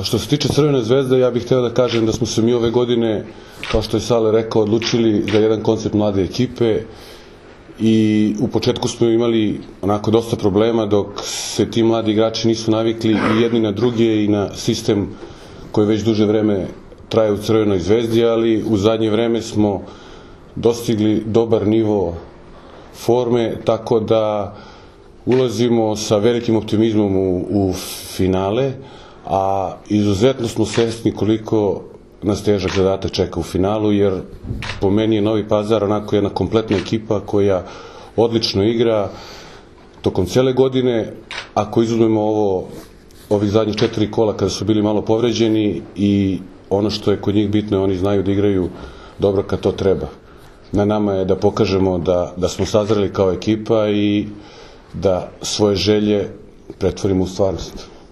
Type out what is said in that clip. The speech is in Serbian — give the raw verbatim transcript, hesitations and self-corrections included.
Što se tiče Crvene zvezde, ja bih hteo da kažem da smo se mi ove godine, kao što je Sale rekao, odlučili za jedan koncept mlade ekipe i u početku smo imali onako dosta problema dok se ti mladi igrači nisu navikli i jedni na druge i na sistem koji već duže vreme traje u Crvenoj zvezdi, ali u zadnje vreme smo dostigli dobar nivo forme, tako da ulazimo sa velikim optimizmom u, u finale, a izuzetno smo svesni koliko nas težak zadatak čeka u finalu, jer po meni je Novi Pazar onako jedna kompletna ekipa koja odlično igra tokom cele godine. Ako izuzmemo ovo, ovih zadnjih četiri kola kada su bili malo povređeni, i ono što je kod njih bitno, oni znaju da igraju dobro kad to treba. Na nama je da pokažemo da, da smo sazreli kao ekipa i da svoje želje pretvorimo u stvarnost.